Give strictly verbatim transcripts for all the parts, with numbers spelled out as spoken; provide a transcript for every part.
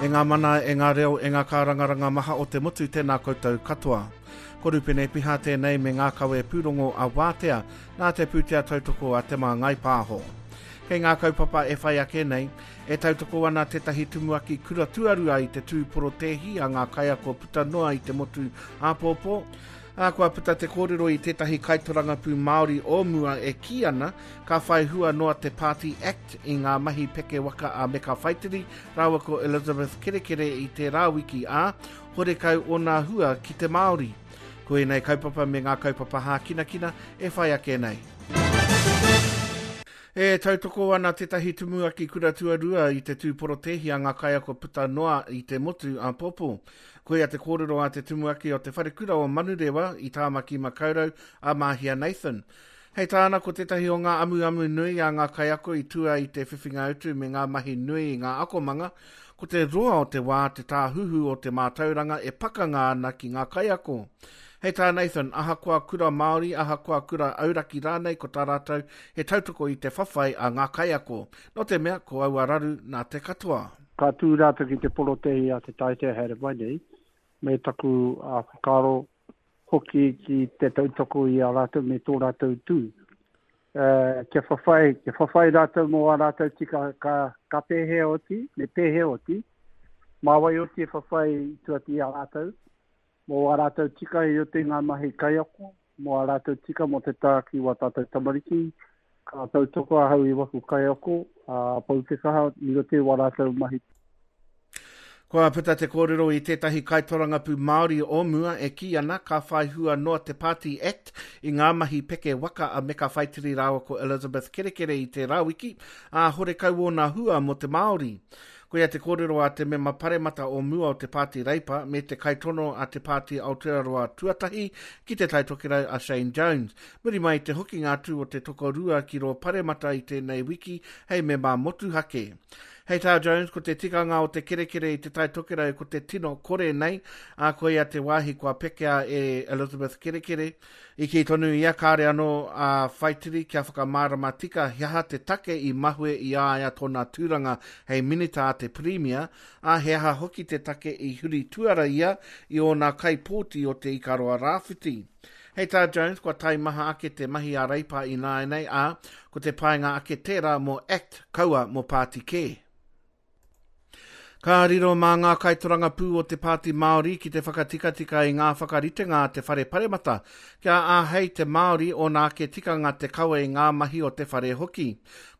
E ngā mana, e ngā reo, e ngā kārangaranga maha o te motu, tēnā koutou katoa. Ko Rupene Piha tēnei me ngā kawe pūrongo a Wātea, nā te pūtea tautoko a Te Māngai Pāho. Kei ngā kaupapa e whai ake nei, e tautoko ana tētahi tumuaki kura tuarua i te tū porotēhi a ngā kaiako puta noa i te motu āpōpō. Ā, kua puta te kōrero i tētahi kaitorangapū Māori o mua e kī ana ka whai hua noa te Party Act i ngā mahi peke waka a Meka Whaitiri rāua ko Elizabeth Kerekere i tērā wiki, ā, horekau ōna hua ki te Māori. Ko ēnei kaupapa me ngā kaupapa hākinakina e whai ake nei. E tautoko ana tētahi tumuaki kura tuarua i te tū porotēhi a ngā kaiako puta noa i te motu āpōpō. Koia te kōrero a te tumuaki o te wharekura o Manurewa i Tāmaki Makaurau a Mahia Nathan. Hei tāna ko tētahi o ngā amuamu nui a ngā kaiako i tua i te whiwhinga utu me ngā mahi nui i ngā akomanga, ko te roa o te wā te tāhuhu o te mātauranga e pakanga ana ki ngā kaiako. Hei tā Nathan, ahakoa kura Māori, ahakoa kura auraki rānei ko tā rātou he tautoko i te whawhai a ngā kaiako. Nō te mea, ko aua raru nā te katoa. Ka tū rātou ki te porotēhi a te taitea haere mai nei, me taku uh, whakaaro hoki ki te tautoko i a rātou me tō rātou tū. Uh, kia whawhai, kia whawhai rātou mō a rātou tika ka, ka pēhea oti, me pēhea oti, mā wai oti e whawhai i tuati i a rātou, mō a rātou tika i roto i ngā mahi kaiako, mō a rātou tika mō te tā ki wā tātou tamariki, ka tautoko ahau i waku kaiako, a pau te kaha i roto i wā rātou mahi. Kua puta te kōrero i tētahi kaitorangapū Māori o mua e kī ana ka whai hua noa te Party Act i ngā mahi peke waka a Meka Whaitiri rāua ko Elizabeth Kerekere i tērā wiki, ā horekau ōna hua mō te Māori. Koia te kōrero a te mema paremata o mua o te Pāti Reipa me te kaitono a te Pāti Aotearoa Tuatahi ki te Taitokerau a Shane Jones. Muri mai te hokinga atu o te tokorua ki rō paremata i tēnei wiki hei mema motuhake. Hei tā Jones, ko te tikanga o te kerekere i te Taitokerau ko te tino kore nei, ā koia te wāhi kua pekea e Elizabeth Kerekere. I kī tonu ia kāre anō a Whaitiri kia whakamārama tika he aha te take i mahue i a ia tōna tūranga hei minita a te Pirimia, ā he aha hoki te take i huri tuara ia i ōna kaipōti o te Ikaroa Rāwhiti. Hei tā Jones, kua taimaha ake te mahi a Reipa i nāianei, ā, ko te painga ake tērā mō Act, kaua mō pāti kē. Ka riro mā ngā kaitorangapū o te Pāti Māori ki te whakatikatika i ngā whakaritenga a te whare paremata, kia āhei te Māori ōna ake tikanga te kawe i ngā mahi o te whare hoki.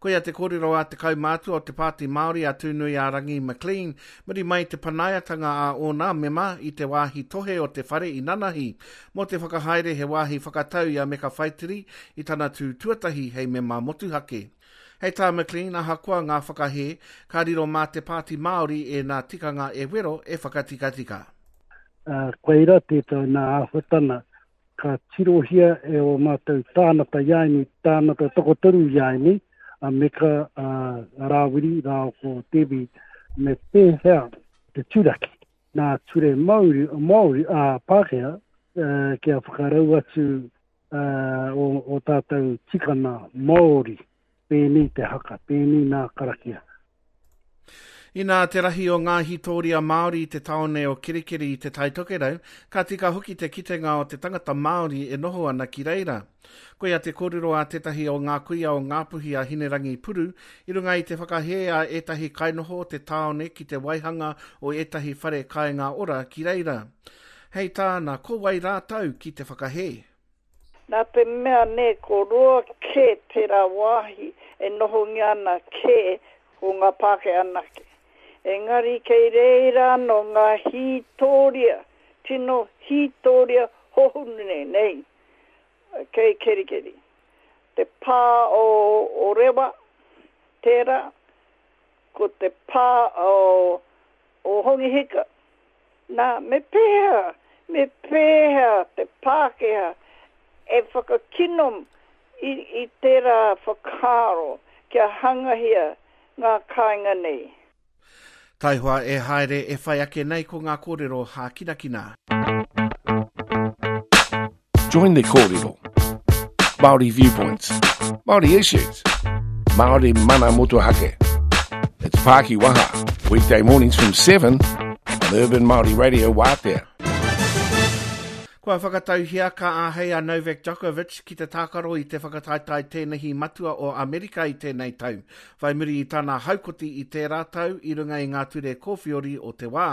Koia te kōrero a te kaumātua o te Pāti Māori a Tūnuiārangi McLean, muri mai te panaiatanga a ōna mema i te wāhi tohe o te whare i nanahi, mō te whakahaere he wāhi whakatau i a Meka Whaitiri i tana tū tuatahi hei mema motuhake. Hei tā McLean, ahakoa ngā whakahē, ka riro mā te Pāti Māori e nā tikanga e wero e whakatikatika. Uh, koira tētai nā āhuatana ka tirohia e o mātou tānata iaini, tānata tokotoru iaini, a Meka, a Rāwiri, rāo ko Debbie, me pēhea te turaki. Nā ture Māori, Māori a Pākehā, uh, kia whakarau atu uh, o, o tātou tikana Māori. Pēnei te haka, pēnei nā karakia. Inā te rahi o ngā hītōria Māori i te taone o Kerikeri i te Taitokerau, ka tika hoki te kitenga o te tangata Māori e noho ana ki reira. Koia te kōrero a tētahi o ngā kuia o Ngāpuhi a Hinerangi Puru, i runga i te whakahē a ētahi kainoho o te taone ki te waihanga o ētahi whare kāinga ora ki reira. Hei tāna, ko wai rātou ki te whakahē? Nā te mea ne, ko roa kē tērā wāhi e nohongia ana kē ko ngā Pākehā anake. Engari kei reira anō ngā hītōria, tino hītōria hohunu nei, nei, kei Kerikeri. Te pā o, o Rewa, tērā, ko te pā o, o Hongi Hika. Nā, me pēhea, me pēhea te Pākehā e whakakino i, i tērā whakaaro kia hangahia ngā kāinga nei. Taihoa e haere e whai ake nei ko ngā kōrero hākinakina. Join the kōrero. Māori viewpoints, Māori issues, Māori mana motuhake. It's Pākiwaha. Weekday mornings from seven on Urban Māori Radio Wātea. Kua whakatauhia ka āhei a Novak Djokovic ki te tākaro i te whakataetae tēnehi matua o Amerika i tēnei tau, whai muri i tana haukoti i tērā tau i runga i ngā ture kōwhiori o te wā.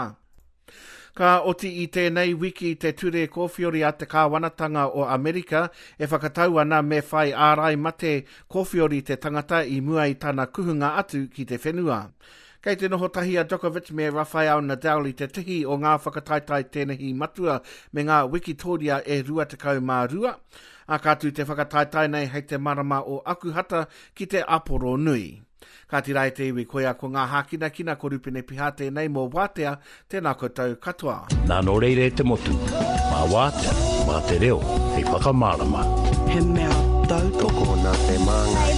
Ka oti i tēnei wiki te ture kōwhiori a te kāwanatanga o Amerika e whakatau ana me whai ārai mate kōwhiori te tangata i mua i tana kuhunga atu ki te whenua. Kei te noho tahi a Djokovic me Rafael Nadal i te tihi o ngā whakataetae tēnehi matua me ngā wikitoria e rua tekau mā rua. A ka tū te whakataetae nei hei te marama o Akuhata ki te Aporo Nui. Ka tira e te iwi koia ko ngā hākinakina ko Rupene Piha tēnei mō Wātea, tēnā koutou katoa. Nā nō reira e te motu, mā Wātea, mā te reo, hei whakamārama. He mea tautoko Tokona te māngai.